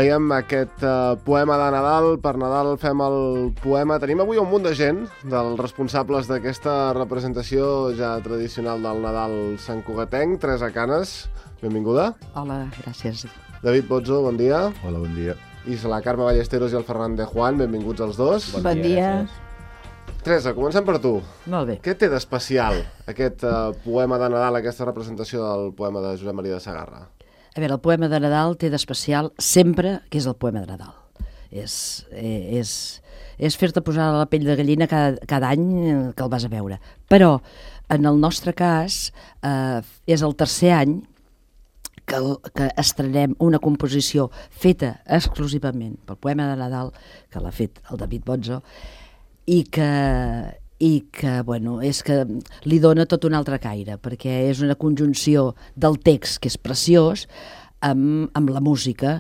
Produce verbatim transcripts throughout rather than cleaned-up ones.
Dèiem aquest uh, poema de Nadal. Per Nadal fem el poema. Tenim avui un munt de gent, dels responsables d'aquesta representació ja tradicional del Nadal santcugatenc. Teresa Canes, benvinguda. Hola, gràcies. David Bozzo, bon dia. Hola, bon dia. I la Carme Ballesteros i el Ferran de Juan, benvinguts els dos. Bon, bon dia. Teresa, comencem per tu. Molt bé. Què té d'especial aquest uh, poema de Nadal, aquesta representació del poema de Josep Maria de Sagarra? A veure, el poema de Nadal té d'especial sempre que és el poema de Nadal. És, és, és fer-te posar la pell de gallina cada, cada any que el vas a veure. Però, en el nostre cas, eh, és el tercer any que, que estrenem una composició feta exclusivament pel poema de Nadal, que l'ha fet el David Bozzo, i que... i que, bueno, és que li dona tot un altre caire, perquè és una conjunció del text, que és preciós, amb, amb la música,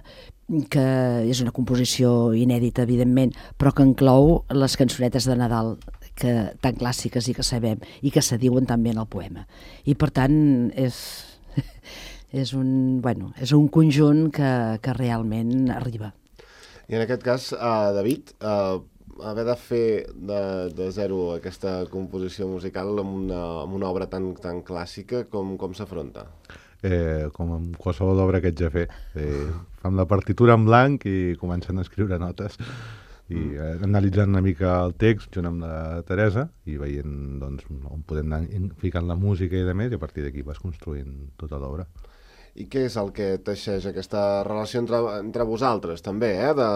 que és una composició inèdita, evidentment, però que inclou les cançonetes de Nadal, que, tan clàssiques i que sabem, i que se diuen també en el poema. I, per tant, és, és, un, bueno, és un conjunt que, que realment arriba. I en aquest cas, uh, David, uh, haver de fer de, de zero aquesta composició musical amb una, amb una obra tan, tan clàssica, com, com s'afronta? Eh, com amb qualsevol obra que ets a fer. Eh, fem la partitura en blanc i comencen a escriure notes. I eh, analitzant una mica el text junt amb la Teresa i veient doncs, on podem anar ficant la música i de més, i a partir d'aquí vas construint tota l'obra. I què és el que teixeix aquesta relació entre, entre vosaltres, també, eh? de,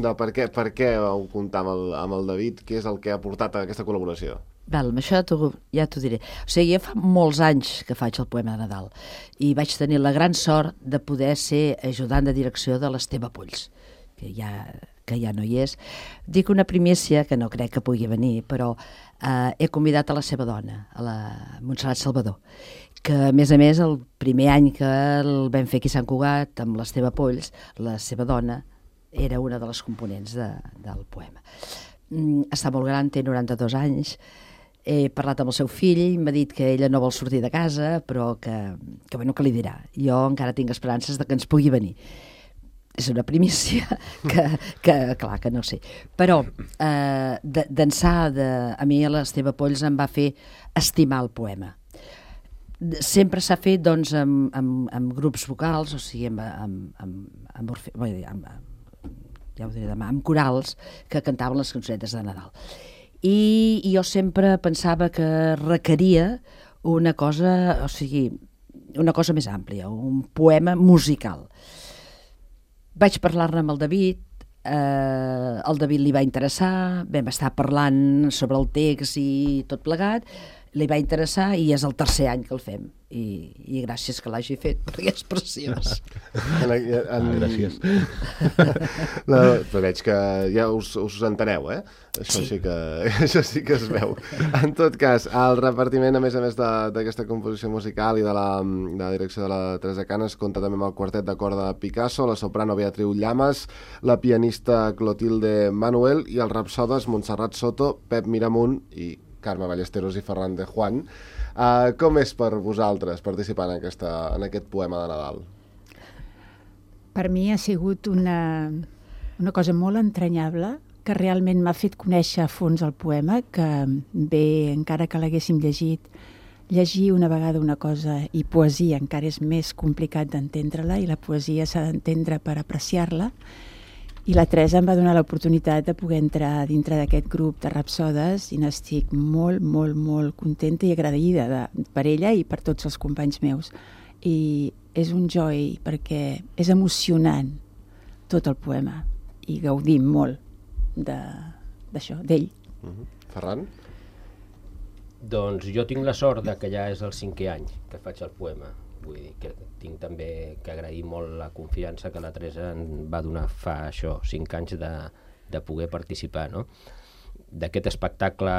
de per què, per què vau comptar amb el, amb el David? Què és el que ha portat a aquesta col·laboració? Val, amb això ja t'ho diré. O sigui, ja fa molts anys que faig el poema de Nadal i vaig tenir la gran sort de poder ser ajudant de direcció de l'Esteve Polls, que ja, que ja no hi és. Dic una primícia, que no crec que pugui venir, però eh, he convidat a la seva dona, a la Montserrat Salvador, que a més a més el primer any que el vam fer aquí a Sant Cugat amb l'Esteve Polls, la seva dona era una de les components de, del poema. Mm, està molt gran, té noranta-dos anys, he parlat amb el seu fill, m'ha dit que ella no vol sortir de casa, però que, que, bueno, que li dirà. Jo encara tinc esperances de que ens pugui venir. És una primícia que, que clar, que no sé. Però eh, d'ençà de, a mi l'Esteve Polls em va fer estimar el poema. Sempre s'ha fet doncs, amb, amb, amb grups vocals, o sigui, amb, amb, amb, amb, orfe... amb, ja ho diré demà, amb corals que cantaven les cançonetes de Nadal. I, i jo sempre pensava que requeria una cosa, o sigui, una cosa més àmplia, un poema musical. Vaig parlar-ne amb el David, eh, el David li va interessar, vam estar parlant sobre el text i tot plegat, li va interessar i és el tercer any que el fem. I, i gràcies que l'hagi fet, perquè és preciós. En, en... Ah, gràcies. La, però veig que ja us, us enteneu, eh? Això sí. Sí que, això sí que es veu. En tot cas, el repartiment, a més a més d'aquesta composició musical i de la, de la direcció de la Teresa Canes, compta també amb el quartet de corda de Picasso, la soprano Beatriu Llamas, la pianista Clotilde Manuel i els rapsodes Montserrat Soto, Pep Miramunt i Carme Ballesteros i Ferran de Juan. Uh, com és per vosaltres participar en, aquesta, en aquest poema de Nadal? Per mi ha sigut una, una cosa molt entranyable, que realment m'ha fet conèixer a fons el poema, que bé, encara que l'haguéssim llegit, llegir una vegada una cosa i poesia encara és més complicat d'entendre-la, i la poesia s'ha d'entendre per apreciar-la. I la Teresa em va donar l'oportunitat de poder entrar dintre d'aquest grup de rapsodes i n'estic molt, molt, molt contenta i agraïda de, per ella i per tots els companys meus. I és un joy perquè és emocionant tot el poema i gaudim molt d'això, d'ell. Uh-huh. Ferran? Doncs jo tinc la sort de que ja és el cinquè any que faig el poema. Vull dir que tinc també que agrair molt la confiança que la Teresa em va donar fa això, cinc anys de, de poder participar, no? D'aquest espectacle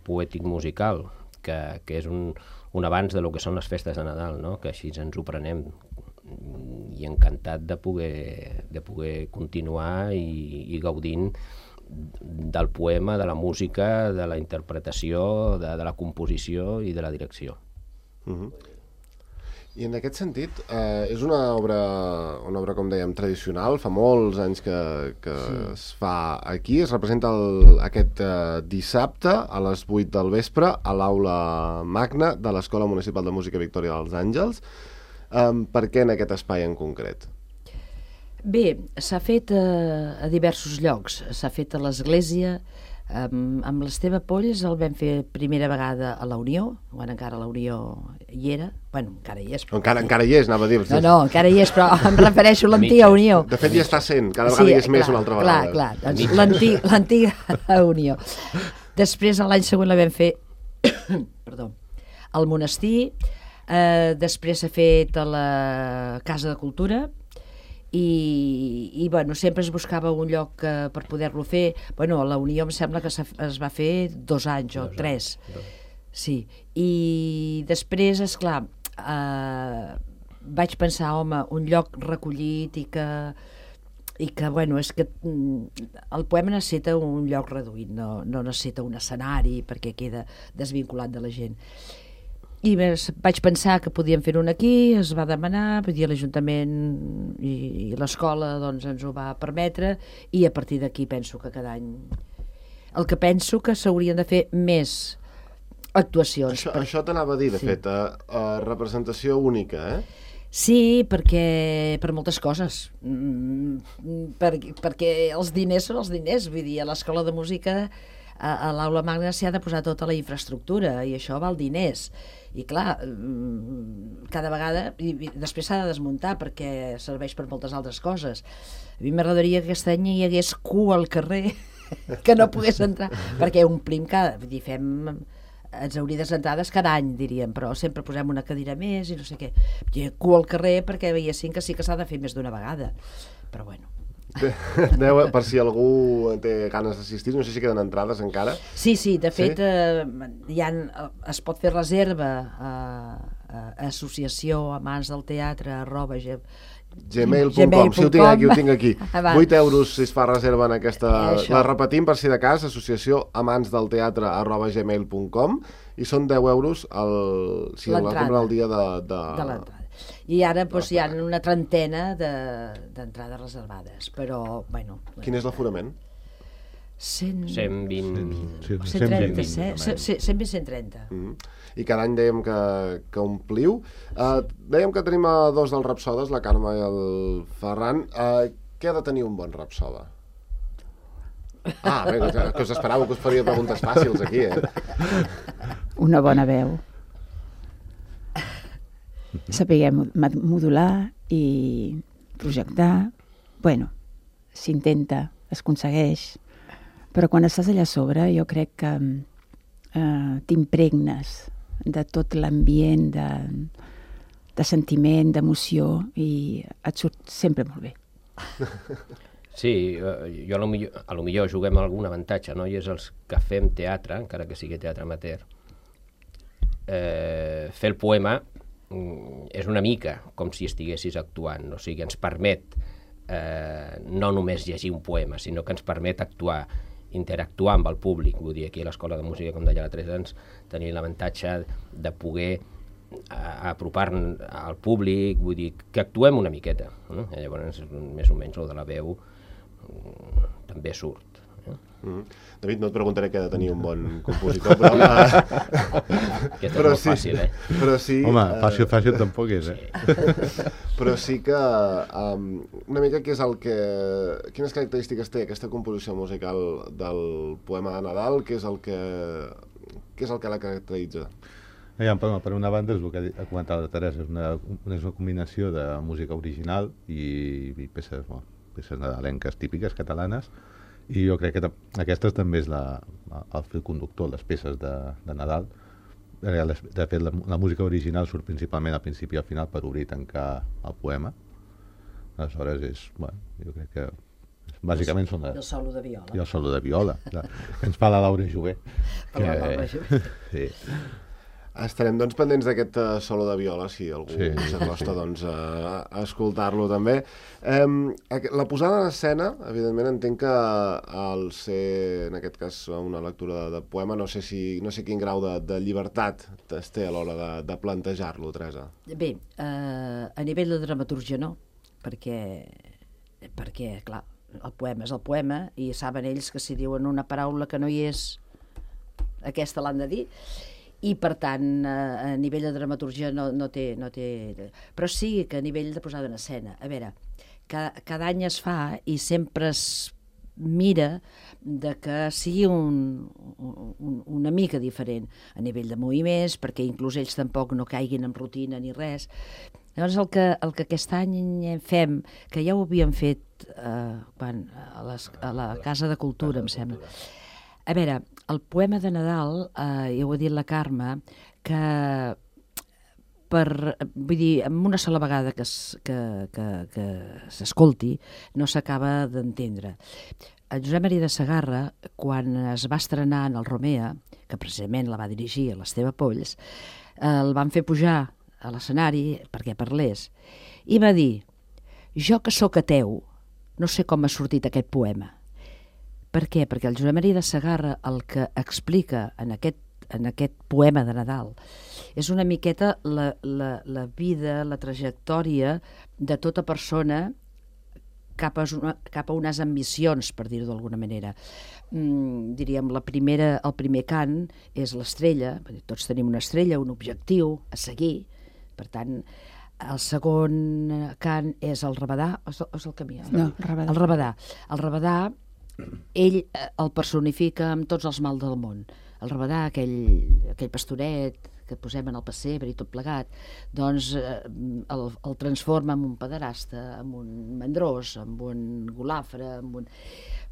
poètic musical, que, que és un, un avanç de lo que són les festes de Nadal, no? Que així ens ho prenem, i encantat de poder, de poder continuar i, i gaudint del poema, de la música, de la interpretació, de, de la composició i de la direcció. Uh-huh. I en aquest sentit, eh, és una obra, una obra, com dèiem, tradicional, fa molts anys que, que sí. es fa aquí, es representa el, aquest eh, dissabte a les vuit del vespre a l'Aula Magna de l'Escola Municipal de Música Victòria dels Àngels. Eh, per què en aquest espai en concret? Bé, s'ha fet eh, a diversos llocs. S'ha fet a l'església, Um, amb l'Esteve Polls el vam fer primera vegada a la Unió, quan encara la Unió hi era, bueno, encara hi és. Però... Encara, encara hi és, anava a dir. No, no, encara hi és, però em refereixo a l'antiga Unió. De fet, ja està sent, cada vegada sí, hi és clar, més una altra vegada. Clar, clar, doncs l'antiga Unió. Després, l'any següent la vam fer perdó, al monestir, eh, després s'ha fet a la Casa de Cultura, i, i bueno, sempre es buscava un lloc eh, per poder-lo fer. Bueno, a la Unió em sembla que es va fer dos anys o dos tres anys. Sí, i després, esclar, eh, vaig pensar, home, un lloc recollit i que i que, bueno, és que el poema necessita un lloc reduït, no, no necessita un escenari perquè queda desvinculat de la gent. I vaig pensar que podíem fer un aquí, es va demanar, vull dir, l'Ajuntament i, i l'escola doncs, ens ho va permetre, i a partir d'aquí penso que cada any... El que penso que s'haurien de fer més actuacions. Això, per... això t'anava a dir, de sí. fet, a, a representació única, eh? Sí, perquè per moltes coses. Mm, per, perquè els diners són els diners, vull dir, a l'escola de música, a, a l'Aula Magna s'hi ha de posar tota la infraestructura, i això val diners. I clar, cada vegada, i després s'ha de desmuntar perquè serveix per moltes altres coses. A mi m'agradaria que aquest any hi hagués cua al carrer, que no pogués entrar, perquè omplim cada... Vull dir, fem exaurides entrades cada any, diríem, però sempre posem una cadira més i no sé què. Hi ha cua al carrer perquè veiessin que sí que s'ha de fer més d'una vegada. Però bueno... Deu, per si algú té ganes d'assistir, no sé si queden entrades encara. Sí, sí, de fet, sí? eh, hi ha, es pot fer reserva a, a associació amants del teatre arroba gmail punt com, si ho tinc aquí, ho tinc aquí. vuit euros si es fa reserva en aquesta... Eh, la repetim per si de cas, associació amants del teatre arroba gmail punt com, i són deu euros el, si la compra el dia de, de... de l'entrada. I ara doncs, hi ha una trentena d'entrades reservades, però, bueno... Quin és l'aforament? cent... cent vint... cent trenta, cent vint, cent trenta. I cada any dèiem que, que ompliu. Uh, dèiem que tenim a dos dels rapsodes, la Carme i el Ferran. Uh, què ha de tenir un bon rapsoda? Ah, bé, que us esperava que us faria preguntes fàcils aquí, eh? Una bona veu. Saber modular i projectar. Bueno, s'intenta, es aconsegueix, però quan estàs allà a sobre jo crec que eh, t'impregnes de tot l'ambient, de, de sentiment, d'emoció, i et surt sempre molt bé. Sí, jo a lo millor, a lo millor juguem algun avantatge, no? I és els que fem teatre, encara que sigui teatre amateur. Eh, fer el poema és una mica com si estiguessis actuant, o sigui, ens permet eh, no només llegir un poema, sinó que ens permet actuar, interactuar amb el públic. Vull dir, aquí a l'Escola de Música, com deia la Teresa, ens tenim l'avantatge de poder apropar-nos al públic, vull dir, que actuem una miqueta, no? I llavors, més o menys, el de la veu també surt. Mm. David, no et preguntaré què ha de tenir un bon compositor, però... Aquest és però molt sí, fàcil, eh? Però sí, home, uh... fàcil, fàcil tampoc és, eh? Sí. Però sí que um, una mica què és el que... Quines característiques té aquesta composició musical del poema de Nadal? Què és el que, què és el que la caracteritza? Ja, per, per una banda, és el que ha comentat la Teresa, és una, és una combinació de música original i, i peces, bueno, peces nadalenques típiques catalanes, i jo crec que aquesta també és la, el fil conductor, les peces de, de Nadal. De fet, la, la música original surt principalment al principi i al final per obrir i tancar el poema. Aleshores, és, bueno, jo crec que bàsicament són... I el solo de viola. I el solo de viola, que ens fa la Laura Jové. Per la Laura Jové. Sí. Estarem doncs pendents d'aquest uh, solo de viola, si algú Sí, s'acosta sí. doncs, a, a escoltar-lo també. Um, la posada en escena, evidentment, entenc que al ser, en aquest cas, una lectura de, de poema, no sé, si, no sé quin grau de, de llibertat es té a l'hora de, de plantejar-lo, Teresa. Bé, eh, a nivell de dramaturgia no, perquè, perquè, clar, el poema és el poema i saben ells que si diuen una paraula que no hi és, aquesta l'han de dir, i per tant a nivell de dramaturgia no, no, té, no té... Però sí que a nivell de posada en escena, a veure, cada, cada any es fa i sempre es mira de que sigui un, un, una mica diferent a nivell de moviments, perquè inclús ells tampoc no caiguin en rutina ni res. Llavors el que, el que aquest any fem, que ja ho havíem fet eh, quan, a, les, a la Casa de Cultura, em sembla. A veure, el poema de Nadal, eh, ja ho ha dit la Carme, que per, vull dir, amb una sola vegada que, es, que, que, que s'escolti no s'acaba d'entendre. El Josep Maria de Segarra, quan es va estrenar en el Romea, que precisament la va dirigir a l'Esteve Polls, eh, el van fer pujar a l'escenari perquè parlés, i va dir: jo que sóc ateu, no sé com ha sortit aquest poema. Per què? Perquè el Josep Maria de Segarra el que explica en aquest, en aquest poema de Nadal és una miqueta la, la, la vida, la trajectòria de tota persona cap a, una, cap a unes ambicions, per dir-ho d'alguna manera. Mm, diríem, la primera, el primer cant és l'estrella, tots tenim una estrella, un objectiu a seguir, per tant, el segon cant és el rabadà, o és el, o és el camí? No, rabadà. El rabadà. El rabadà, ell el personifica amb tots els mals del món. El rabadà, aquell, aquell pastoret que posem en el pessebre i tot plegat, doncs eh, el, el transforma en un pederasta, en un mandrós, en un golafre, en un...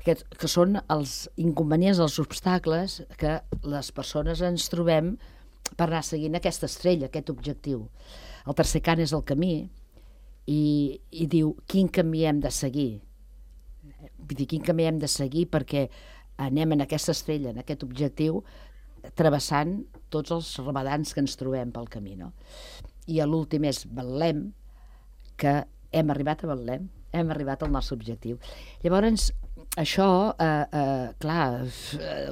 Que, que són els inconvenients, els obstacles que les persones ens trobem per anar seguint aquesta estrella, aquest objectiu. El tercer cant és el camí i, i diu quin camí hem de seguir. Vull dir, quin camí hem de seguir perquè anem en aquesta estrella, en aquest objectiu, travessant tots els rabadans que ens trobem pel camí, no? I l'últim és Betlem, que hem arribat a Betlem, hem arribat al nostre objectiu. Llavors, això, eh, eh, clar,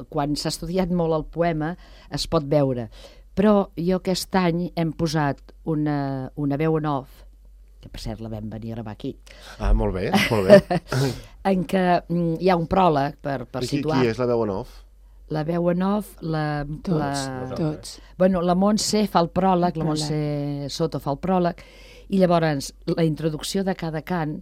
quan s'ha estudiat molt el poema es pot veure, però jo aquest any hem posat una, una veu en off, que per cert la vam venir a gravar aquí. Ah, molt bé, molt bé. En què mm, hi ha un pròleg per, per I qui, situar. qui és la veu en off? La veu en off, la... Tots, la... tots. Bueno, la Montse fa el pròleg, la El Montse Soto fa el pròleg, i llavors la introducció de cada cant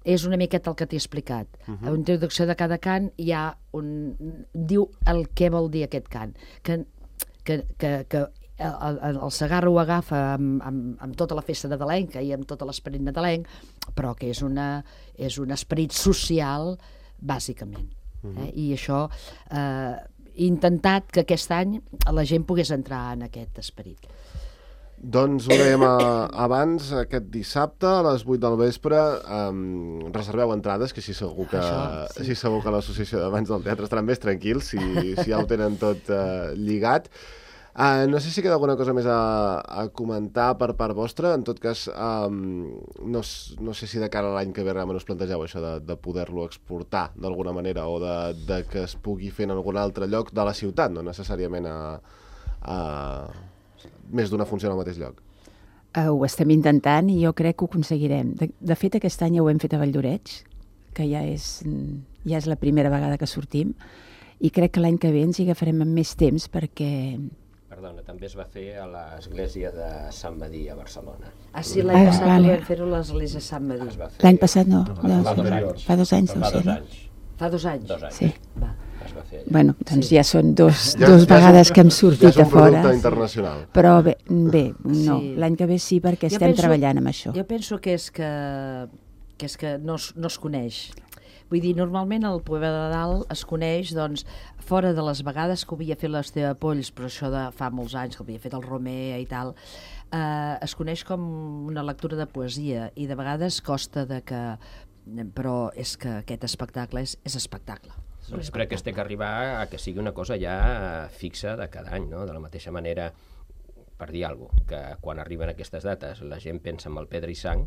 és una miqueta el que t'he explicat. Uh -huh. A la introducció de cada cant hi ha un... diu el què vol dir aquest cant. Que, que, que, que el, el, el Segarra ho agafa amb, amb, amb tota la festa nadalenca i amb tot l'esperit nadalenc, però que és, una, és un esperit social, bàsicament. Uh -huh. eh? I això... Eh, he intentat que aquest any la gent pogués entrar en aquest esperit. Doncs ho dèiem a, abans, aquest dissabte a les vuit del vespre, um, reserveu entrades, que així segur que, Això, sí. així segur que l'associació d'Amants del Teatre estaran més tranquils si, si ja ho tenen tot uh, lligat. Uh, no sé si queda alguna cosa més a, a comentar per part vostra. En tot cas, um, no, no sé si de cara a l'any que ve realment us plantegeu això de, de poder-lo exportar d'alguna manera o de, de que es pugui fer en algun altre lloc de la ciutat, no necessàriament a, a més d'una funció al mateix lloc. Uh, ho estem intentant i jo crec que ho aconseguirem. De, de fet, aquest any ja ho hem fet a Valldoreix, que ja és, ja és la primera vegada que sortim, i crec que l'any que ve ens hi agafarem amb més temps perquè... Perdona, també es va fer a l'església de Sant Madí, a Barcelona. Ah, sí, l'any Ah, passat vale. vam fer-ho a l'església de Sant Madí. Es va fer... L'any passat no. Fa, no, fa dos anys. Fa dos anys, Fa deu dos ser, no? anys. Fa dos anys? Dos anys. Sí. Va. Es va fer allà. Bueno, doncs Sí. ja són dos, Ja- dos ja és vegades un- que hem Ja sortit és un a fora. producte internacional. Però bé, bé no, Sí. l'any que ve sí, perquè Jo estem penso- treballant amb això. Jo penso que és que, que, és que no, es, no es coneix. Vull dir, normalment el poema de Nadal es coneix, doncs, fora de les vegades que ho havia fet l'Esteve Polls, però això de fa molts anys, que ho havia fet el Romea i tal, eh, es coneix com una lectura de poesia i de vegades costa de que... Però és que aquest espectacle és, és espectacle. És un Doncs crec que es té que arribar a que sigui una cosa ja fixa de cada any, no? De la mateixa manera per dir alguna cosa, que quan arriben aquestes dates la gent pensa en el Pedra i Sang,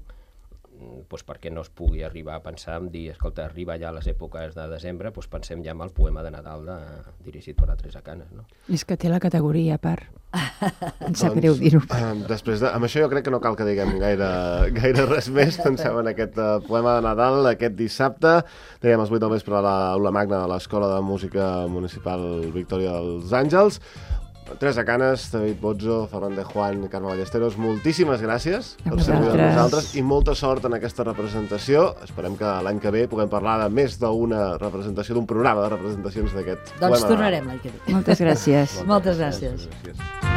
doncs perquè no es pugui arribar a pensar en dir, escolta, arriba ja a les èpoques de desembre, doncs pensem ja en el poema de Nadal de, dirigit per la Teresa Canes, no? És que té la categoria a part. Em sap greu dir-ho. Eh, després de, amb això jo crec que no cal que diguem gaire, gaire res més. Pensem en aquest uh, poema de Nadal aquest dissabte. Dèiem els vuit del vespre a l'Aula Magna de l'Escola de Música Municipal Victòria dels Àngels. Teresa Canes, David Bozzo, Fernández Juan, Carme Ballesteros, moltíssimes gràcies per ser avui amb nosaltres i molta sort en aquesta representació. Esperem que l'any que ve puguem parlar de més d'una representació, d'un programa de representacions d'aquest Doncs poema. tornarem l'any que ve. Moltes gràcies. Moltes gràcies. Gràcies.